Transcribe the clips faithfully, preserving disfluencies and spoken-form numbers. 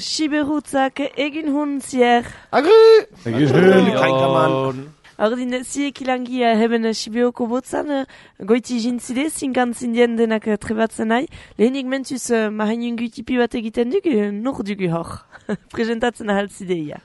Siberutzak egin hun zier. Agri! Egin hun! Ordin, ziek ilangia heben Sibeoko botzan, goiti jintzide, zinkan zindien denak trebatzen nahi. Lehenik mentuz mahainungu tipi bat egiten dugu, nur dugu hor. Presentatzen ahaltzideia.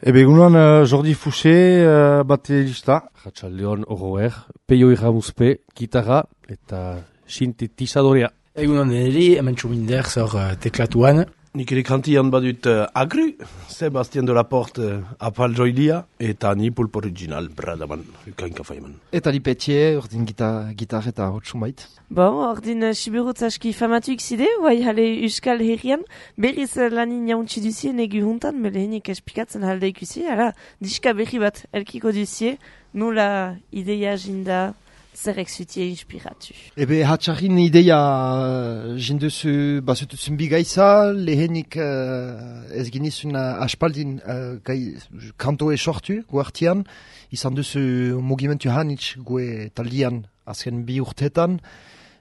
Ebe egunan uh, Jordi Fouché uh, baterista. Ratxaldeon Oroer, Peio Iramuzpe, gitarra eta sintetizadorea. Egunan deneri, hemen txuminder zor uh, teklatuan. Nik ere kantian badut uh, Agru, Sebastien de la Porte uh, apal joilia, eta ni pulp original, bradaman, ukainka faiman. Eta li Petier, ordin gitar, gitar eta hotsumait. Bon, ordin uh, Siberutz aski famatuik zide, guai hale Euskal Herrian, berriz uh, lanin jauntzi duzien egu huntan, melehenik espikatzen halde ikusi, ara, diska berri bat elkiko duzie, nula ideia jinda, zerrek zutie inspiratu. Ebe hatxarrin ideia uh, jinduzu bazututzen bigaiza, lehenik uh, ez ginizun uh, aspaldin uh, gai, kantoe sortu guartian, izan duzu mugimentu hanitz gue taldian azken bi urtetan,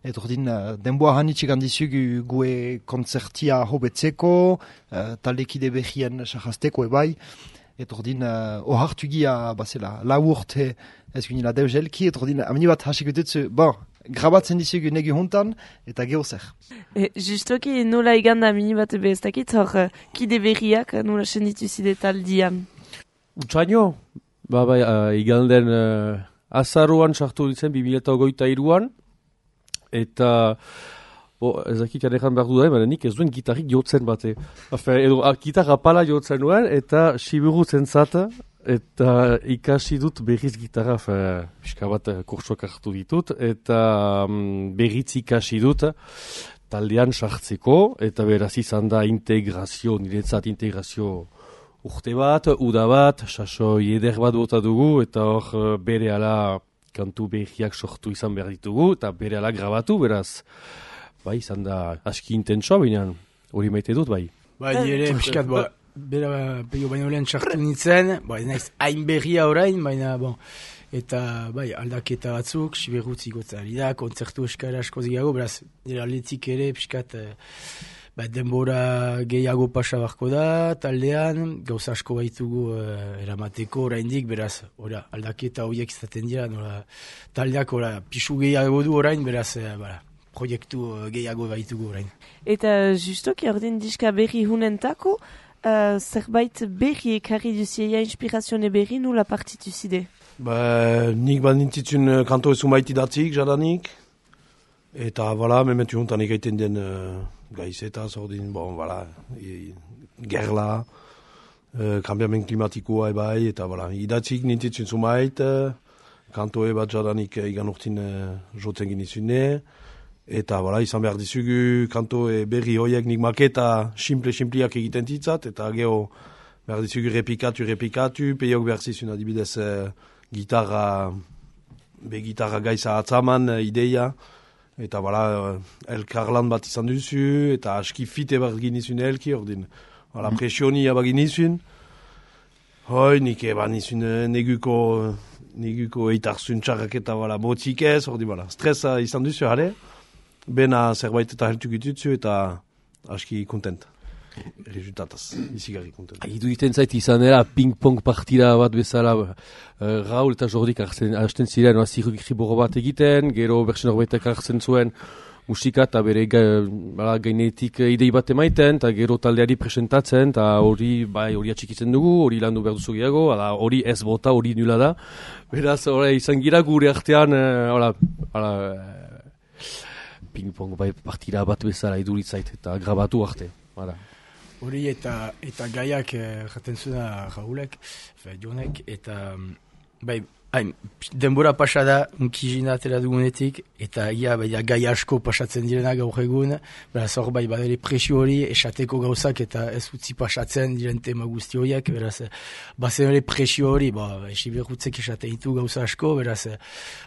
et ordin uh, denboa hanitzik handizugu gue konzertia hobetzeko, uh, taldekide behien sahazteko ebai, et ordin uh, ohartu gia basela lau urte ez ginila deuzelki, et ordin amini bat hasik dutzu, bon, grabatzen dizugu negu hontan, eta geho zer. E, justoki nola iganda amini bat ebe ez dakit, hor kide berriak nola senditu zide taldian. Utsaino, ba, ba, uh, iganden uh, azaruan sartu ditzen, bi mila eta hogeita iruan, eta bo, ez dakit jarekan behar du da, baina nik ez duen gitarrik jotzen bate. Afe, edo, a, gitarra pala jotzen nuen, eta Siberutzen zata, eta ikasi dut berriz gitarra, pixka bat kurtsuak hartu ditut, eta um, berriz ikasi dut taldean sartzeko, eta beraz izan da integrazio, niretzat integrazio urte bat, uda bat, sasoi eder bat bota dugu, eta hor bere ala kantu berriak sortu izan behar ditugu, eta bere ala grabatu, beraz, bai, izan da aski intentsoa, baina hori maite dut, bai. Bai, nire piskat, ba, bera peio baino lehen txartu nintzen, ba, ez naiz hain berria orain, baina, bon, eta, bai, aldaketa batzuk, Siberutz igotzari da, kontzertu eskara asko zigago, beraz, nire aldetik ere, piskat, ba, denbora gehiago pasa barko da, taldean, gauza asko baitugu uh, eramateko oraindik, beraz, ora, aldaketa horiek izaten dira, nola, taldeak, ora, pisu gehiago du orain, beraz, uh, bara, proiektu uh, gehiago baitugu orain. Eta justoki ordin diska berri hunentako, uh, zerbait berri ekarri duzieia inspirazione berri nula partitu zide? Ba, nik bat nintitzun kanto ezun baiti datzik, jadanik. Eta, voilà, mementu hontan egaiten den uh, gaizeta, zordin, bon, voilà, e, gerla, uh, kambiamen klimatikoa ebai, eta, voilà, idatzik nintitzun zumait, uh, kanto ebat jadanik egan urtin uh, jotzen ginizune, eta, voilà, izan behar dizugu kanto e berri hoiek nik maketa simple-simpliak egiten titzat, eta geho behar dizugu repikatu, repikatu, peiok behar zizun adibidez uh, gitarra, be gitarra gaiza atzaman uh, ideia, eta bala, elkarlan bat izan duzu, eta aski fite bat ginizun elki, ordin, bala, presionia bat ginizun. Hoi, nik eban izun neguko, neguko eitarzun txarrak eta bala, botzik ez, ordin, bala, stresa izan duzu, jare, bena zerbait eta heltu gitutzu, eta aski kontent. Resultataz, izigarri kontent. Idu iten zait izan dela ping-pong partida bat bezala, uh, Raul eta Jordik hasten ziren, no, zirriboro bat egiten, gero bersen horbaitek hartzen zuen musika eta bere ga, bala, gainetik idei bat emaiten, eta gero taldeari presentatzen, eta hori bai, hori atxikitzen dugu, hori landu behar duzu gehiago, hori ez bota, hori nula da. Beraz, hori izan gira gure artean, uh, uh, ping-pong bai, partida bat bezala iduritzait, eta grabatu arte. Hala. Hori eta eta gaiak jaten eh, zuna Raulek, fe, Jonek, eta bai, hain, denbora pasa da unkizina atera dugunetik, eta ia bai, gai asko pasatzen direna gaur egun, beraz hor bai badere presio hori, esateko gauzak eta ez utzi pasatzen diren tema guzti horiek, beraz bazen ere presio hori, ba, Siberutzek esaten ditu gauza asko, beraz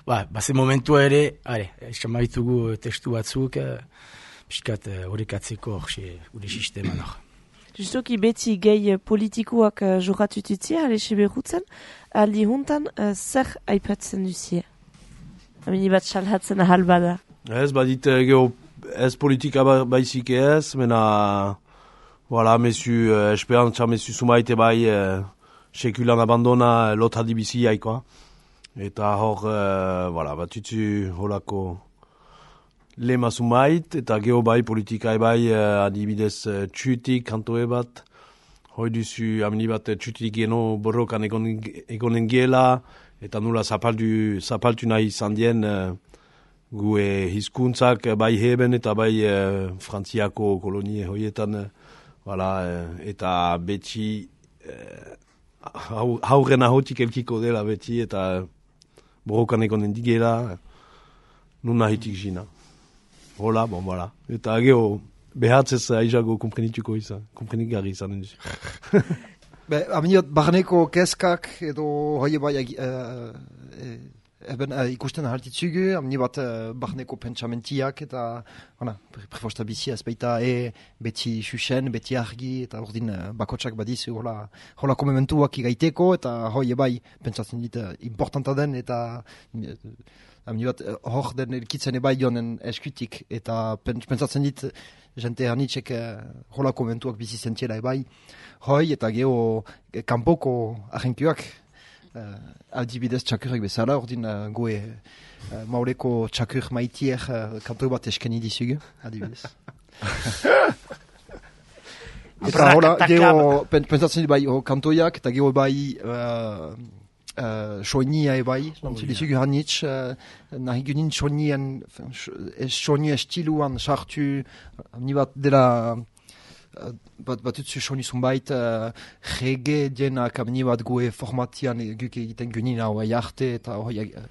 ba, bazen momentua ere, are, esan maitugu testu batzuk, piskat horrekatzeko hori gure sisteman hor. Justoki beti gehi politikoak uh, joratututzia, ale Siberutzen, aldi huntan uh, zer aipatzen duzie? Amini bat salhatzen ahal bada. Ez, badit, geho, ez politika baizik ez, mena, Voilà, mesu, uh, esperantza mesu sumaite bai, uh, sekulan abandona lot hadi bizi jaikoa. Eta hor, uh, voilà, batutzu holako lema sumait, eta geho bai politika bai, uh, adibidez uh, txutik kantoe bat, hoi duzu amini bat txutik geno borrokan egonen, egonen giela, eta nula zapaldu, zapaltu nahi izan dien, uh, gue hizkuntzak bai heben eta bai uh, frantziako kolonie hoietan, uh, voilà, uh, eta beti uh, hauren ahotik elkiko dela beti, eta borrokan egonen digela, nuna hitik jina. Hola, bon, voilà. Eta geho, behatzez aizago komprenituko izan, komprenigarri izan duzu. Be, aminiot, barneko keskak edo hoi bai uh, eben uh, ikusten hartitzugu, amini bat uh, barneko pentsamentiak eta ona, prefosta bizi ez baita e beti xuxen, beti argi eta ordin uh, bakotsak badizu hola, hola komementuak igaiteko eta hoi bai pentsatzen dit uh, importanta den eta uh, amini bat hor den elkitzen ebai jonen eskutik eta pentsatzen dit jente hanitxek uh, hola komentuak bizi zentiela ebai hoi eta geho kanpoko agenkioak Uh, adibidez txakurek bezala, ordin uh, goe uh, maureko txakur maitiek uh, kanto bat eskeni dizugu, adibidez. Eta hola, geho, pentsatzen bai oh, kantoiak, eta geho bai uh, uh, soinia ebai, nantzu dizugu hanitz, uh, nahi gunin soinien, soinia estiluan sartu, ni bat dela bat batutzu sonizun bait uh, rege dienak amni bat goe formatian guk egiten gunin hau arte eta hoi uh,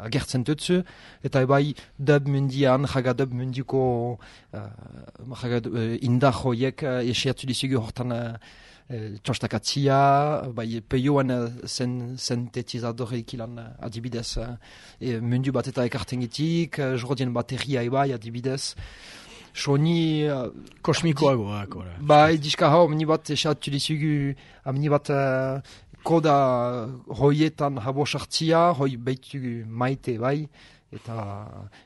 agertzen tutzu eta ebai dub mundian jaga dub mundiko uh, jaga uh, indar hoiek uh, esiatu dizugu hortan uh, txostakatzia, bai peioan uh, zen sintetizadore ikilan uh, adibidez uh, e, mundu bat eta ekartengitik, uh, jordien bateria ebai adibidez. Soni... Uh, Kosmikoagoak, ora. Bai, diska hau, amni bat esatu dizugu, amni bat uh, koda hoietan habo sartzia, hoi beitugu maite, bai, eta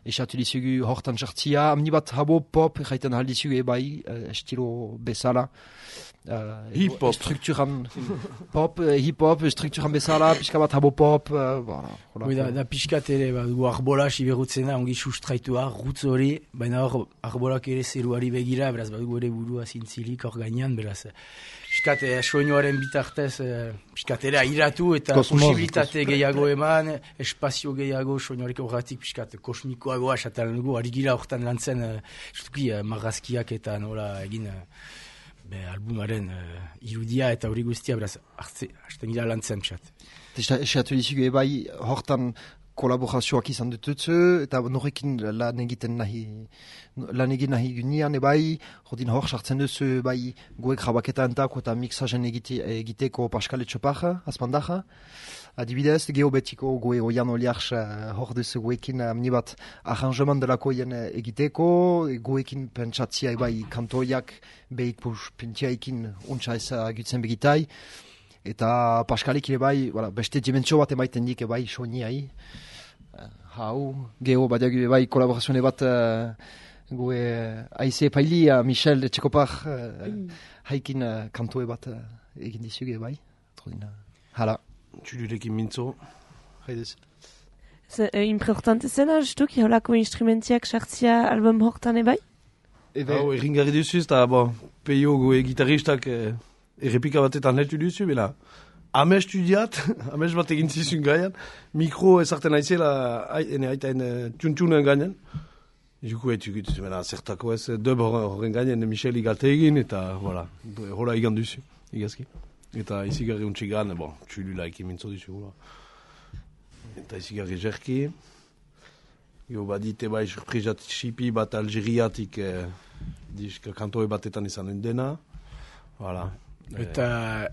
esatu dizugu hortan sartzia, amni bat habo pop, jaiten hal dizugu, bai, uh, estilo bezala. Uh, hip-hop. Strukturan pop, uh, hip-hop, strukturan bezala, pixka bat habo pop, uh, voilà. Hoi da, da pixkat ere, ba, du arbola siberutzen da, ongi sustraitua, rutz hori, baina hor arbolak ere zeruari begira, beraz, bat ere burua zintzilik hor gainean, beraz, pixkat eh, soinuaren bitartez, eh, pixkat ere airatu eta Kosmos, posibilitate gehiago eman, espazio gehiago soinuarek horretik pixkat kosmikoagoa, esatan dugu, ari gira horretan lantzen, eh, justuki, eh, marrazkiak eta nola egin, eh, Be, albumaren uh, irudia eta hori guztia, beraz, hartze, hasten gira lantzen, pixat. Esatu dizugu ebai, hortan kolaborazioak izan dututzu, eta norekin lan egiten nahi, lan egin nahi gunean ebai, hodin hor sartzen duzu ebai goek grabaketa entako eta mixajen egite, egiteko Pascal Etxopaja, azpandaja. Adibidez, geobetiko goe oian oliarx uh, hor duzu goekin amni bat arrangement delako ien egiteko, goekin pentsatzia ebai kantoiak behik pus pintiaikin untsa ez agutzen begitai, eta Pascalik ere bai, voilà, beste dimentsio bat emaiten dik ebai soiniai. Uh, hau, geo badiagu ebai kolaborazioane bat uh, goe aize pailia Michel Etxekopar uh, haikin uh, kantoe bat uh, egin dizuge ebai. Trodina, hala. Txulurekin mintzo, haidez. Importante zena, justuk, holako instrumentiak sartzia album hortan ebai? Hau, erringarri duzuz, eta bo, peio goe gitaristak eh, errepika batetan letu duzu, bela, ames studiat, ames bat egin zizun gaian, mikro ezarten aizela, ene aitaen txuntxunen gainean, juku etukut, bela, zertako ez, dub horren gainean, Michel igalte egin, eta, voilà, hola igan duzu, igazki. Eta izigarri untxigan, bon, txulula ekin mintzo duzu, eta izigarri jerki. Jo badite bai surprizat xipi bat Algeriatik eh, diska kantoe batetan izan dena. Voilà. Eta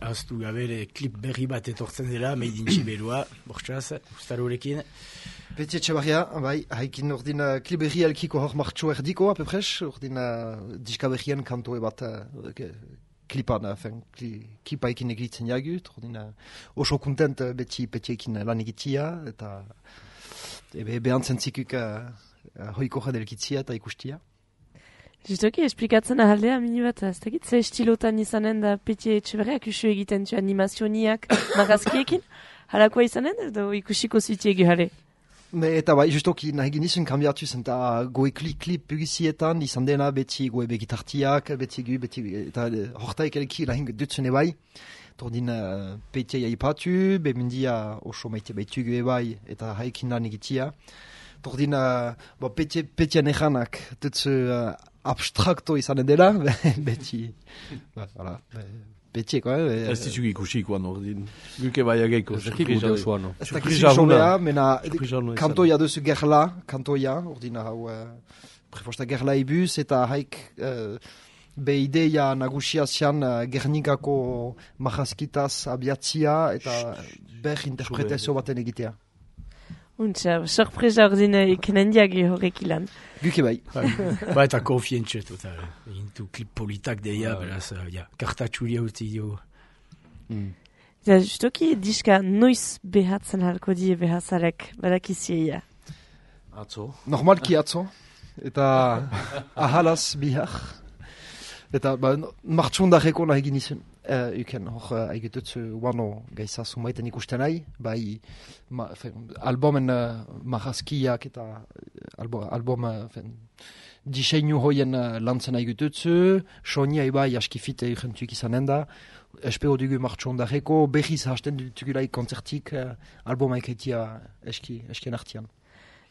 aztu gabere klip berri bat etortzen dela, Made in Txiberua, bortxaz, ustarorekin. Beti etxebarria, bai, haikin ordin uh, klip berri elkiko hor martxo erdiko, apepres, ordin uh, diska berrien kantoe bat uh, klipan, enfin, kli, klipa ekin egitzen jagut, ordin uh, oso kontent uh, beti beti ekin lan egitia, eta ebe behantzen zikuk uh, uh, hoiko jadelkitzia eta ikustia. Justoki, esplikatzen ahaldea mini bat, ez dakit, ze estilotan izanen da Peti Etxeberriak usu egiten zu animazioniak marrazkiekin? Halakoa izanen, edo ikusiko zutiegu jale? Me, eta bai, justoki nahi genizun kambiatu zen, eta goe klip-klip pugizietan, izan dena beti goe begitartiak, beti gu, beti, eta hortaik elki lahin dutzen ebai. Tordin uh, Petia ipatu, bemendia oso maite baitu gu ebai, eta haikin lan egitia. Tordin, uh, bo, Petia, Petia nehanak dutzu uh, abstrakto izanen dela, beti, ba, voilà, Petia, quoi. Ez ditzuk ikusikoan ordin. Guke bai ageiko. Ez dakik gure osoan, no? Ez dakik jomea, mena kantoia duzu gerla, kantoia, ordina hau, uh, prefosta gerla ibuz, eta haik uh, be ideia nagusia zian uh, Gernikako marrazkitaz abiatzia, eta ber interpretazio baten egitea. Untsa, sorpresa ordin ikenen diagi horrek ilan. Guke bai. Ba eta konfientxe total. Intu klip politak deia, beraz, ja, kartatxuria uti dio. Ja, justoki diska noiz behatzen halko die behazarek, badakizieia. Atzo. Normalki atzo, eta ahalaz bihar. Eta ba, martxondareko nahi ginizun, uh, uken, hor uh, aigututzu wano gaisa sumaiten ikusten nahi, bai ma, fen, albumen uh, marrazkiak eta albo, album uh, fen, diseinu hoien uh, lantzen aigututzu, sonia bai askifite urgentuik izanen da, espero dugu martxondareko, behiz hasten dutugulai konzertik uh, albuma eketia eski, eskien artian.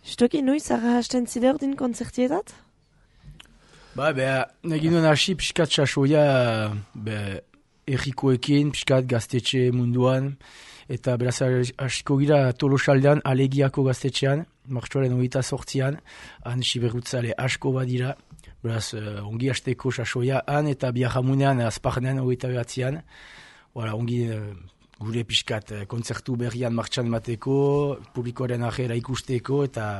Justoki noiz arra hasten zide ordin konzertietat? Ba, beha, egin duen hasi piskat sasoia, be, errikoekin, piskat gaztetxe munduan, eta beraz hasiko gira Tolosaldean, Alegiako gaztetxean, martxoaren hogeita sortzian, han siberrutzale asko badira, beraz uh, ongi hasteko sasoia han, eta biarramunean azparnean hogeita behatzean, voilà, ongi uh, gure piskat uh, kontzertu berrian martxan mateko, publikoaren ajera ikusteko, eta,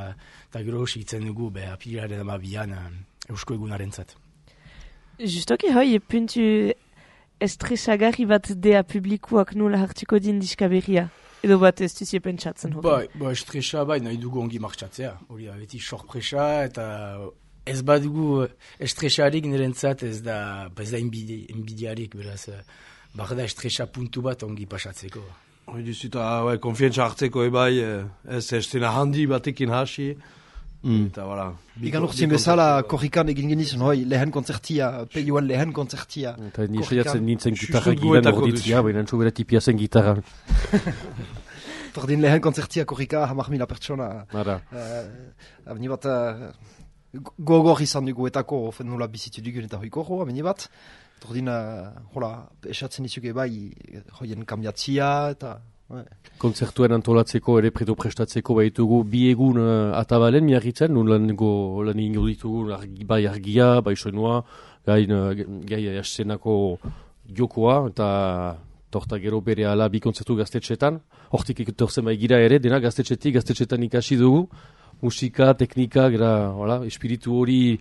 eta gero sigitzen dugu, be, apilaren amabian, uh, Eusko egunaren zat. Justoki hoi, puntu estresagarri bat dea publikuak nola hartuko din diska berria? Edo bat ez duzie pentsatzen hori? Bai, ba, estresa bai, nahi dugu ongi martxatzea. Hori da, beti sorpresa, eta ez bat dugu estresarik nirentzat ez da, ez da inbidi, inbidiarik, beraz, bar da estresa puntu bat ongi pasatzeko. Hori duzuta, bai, konfientza hartzeko ebai, ez estena handi batekin hasi, Mm. Eta, voilà. Igan urtzien bezala, korrikan egin genizun, hoi, lehen konzertia, peioan lehen konzertia. Eta nisaiatzen nintzen gitarra gilan orditzia, baina entzu bere tipia zen gitarra. Tordin lehen konzertia korrika, hamar mila pertsona. Ara. Uh, Abni bat, uh, gogor izan dugu etako, ofen nola bizitu dugun eta hoi korro, abni bat. Tordin, uh, hola, esatzen izuge bai, hoien kambiatzia, eta... Ouais. Konzertuen antolatzeko ere predo prestatzeko baitugu bi egun uh, atabalen miarritzen, nun lan ingo ditugu argi, bai argia, bai soinua, gain uh, gai asenako jokoa, eta torta gero bere ala bi konzertu gaztetxetan, hortik etorzen bai gira ere, dena gaztetxetik, gaztetxetan ikasi dugu, musika, teknika, gara, hola, espiritu hori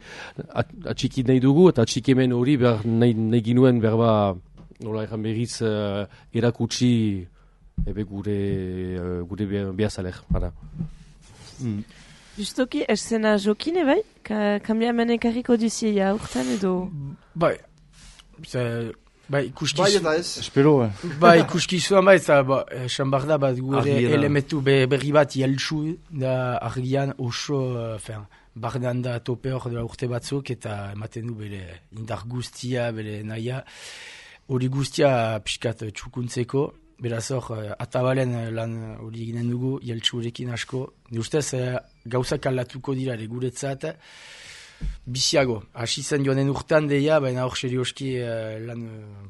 atxiki nahi dugu, eta atxikemen hori behar nahi, nahi ginuen berba, nola erran berriz, uh, erakutsi, ebe gure, uh, gure behazalek, bada. Mm. Justoki, eszena jokine bai? Ka, kambiamen ekarriko duzieia urtan edo? Bai, ze, bai, ikuskizu... Bai eta ez? Espero, eh? Bai, ikuskizuan bai, eta ba, esan behar da, bat gure elementu be, berri bat jeltsu da argian oso, uh, bardan da tope hor dela urte batzuk, eta ematen du bere indar guztia, bere naia, hori guztia pixkat txukuntzeko, beraz hor, atabalen lan hori eginen dugu, jeltsurekin asko. Ni ustez, gauzak aldatuko dira guretzat, biziago. Hasi zen joanen urtean deia, baina hor serioski lan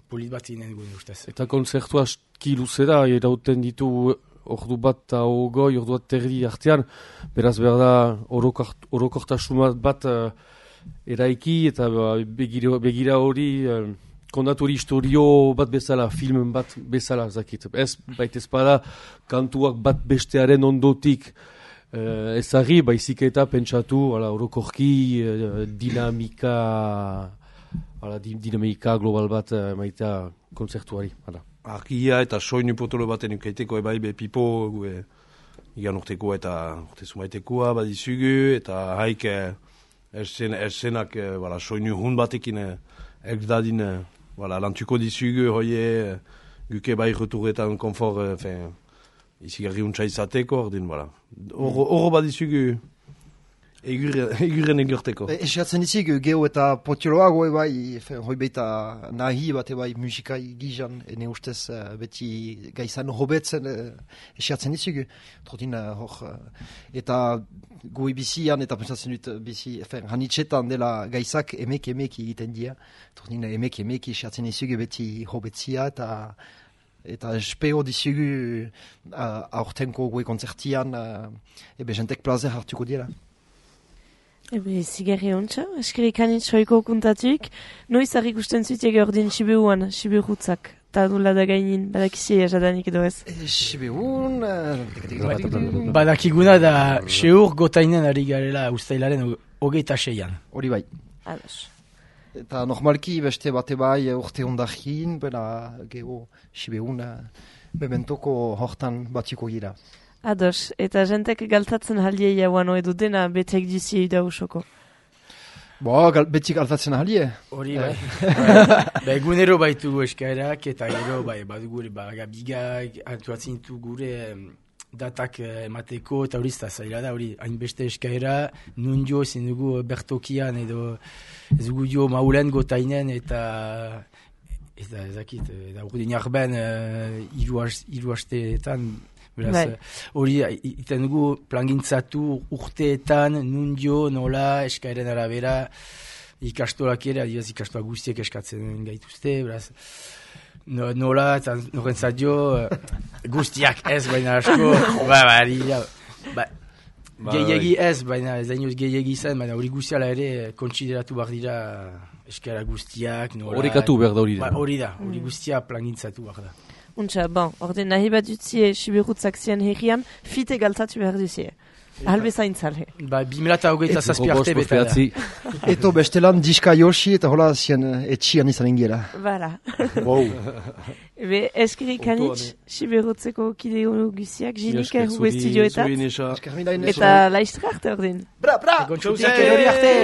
polit bat eginen dugu, ni ustez. Eta konzertu aski luzera, erauten ditu ordu bat eta ogoi, ordu bat terdi artean, beraz berda orokortasun bat uh, eraiki, eta begira, begira hori... Uh, Kondatori historio bat bezala, film bat bezala, zakit. Ez, baita ezpada, kantuak bat bestearen ondotik eh, ezagri, baizik eta pentsatu, ala, orokorki, eh, dinamika, ala, dinamika global bat eh, maita konzertuari. Ala. Argia eta soinu potolo baten ukaiteko ebai, be pipo, gue, igan urteko eta urte sumaitekoa badizugu, eta haik, Erzen, erzenak, eh, voilà, soinu hun batekin eh, ez dadin, eh, voilà, lantuko dizugu hoie, eh, guke bai returretan konfor, eh, fin, izigarri untsa izateko, ordin, voilà. Oro, oro badizugu eguren egurteko. Esiatzen izik, geho eta potioloago ebai, hoi baita nahi bat ebai musikai gizan, ene ustez uh, beti gaizan hobetzen uh, esiatzen izik, trotin uh, hor, uh, eta goi bizian, eta pensatzen dut bizi, hanitxetan dela gaizak emek emek egiten dira, trotin emek emek esiatzen izik beti hobetzia, eta eta espeo dizugu uh, aurtenko goi konzertian, uh, ebe jentek plazer hartuko dira. Ebe, zigarri ontsa, eskerik anitzoiko kuntatuk, noiz harrik usten zuitek ordin Sibiuan, Sibiurutzak, eta dula da gainin, badakizia jadanik edo ez. Sibiun... Badakiguna da seur gotainen ari garela ustailaren hogeita seian. Hori bai. Ados. Eta normalki beste bate bai urte ondakin, bera geho Sibiun bementoko hortan batiko gira. Ados, eta jentek galtatzen halie jauan edo dena betek dizi da usoko. Bo, gal, beti galtatzen halie. Hori bai. Ba, egunero baitu eskaerak eta gero bai, badugu ba, gabigak antuatzen ditu gure em, datak eh, emateko eta hori zta zaila da, hori hainbeste eskaera, nun jo ezin dugu bertokian edo ez dugu jo maulen gotainen eta eta ezakit, eta urdin arben uh, iru hasteetan. Beraz, hori iten dugu plangintzatu urteetan, nun jo, nola, eskaeren arabera, ikastolak ere, adibaz ikastolak guztiek eskatzen gaituzte, beraz, no, nola, eta norentzat jo, guztiak ez, baina asko, ba, bari, ja, ba, gehiagi ez, baina ez dainoz gehiagi izan, baina hori guztiala ere kontsideratu behar dira eskaera guztiak, nola. Horrekatu behar da hori da. Ba, hori da, hori guztia plangintzatu behar da. Untsa, bon, orde nahi bat dutzie Sibirutzak zian herrian, fite galtatu behar duzie. Halbe zaintzale. Ba, bimila eta hogeita zazpi arte beta da. Eto bestelan diska Yoshi eta hola zian etxian izan ingela. Bara. Wow. Ebe, eskirik anitz, Sibirutzeko kideo guziak, jinik erru estudioetat. Eta laiztra arte ordin. Bra, bra! Gontxauziak erori arte!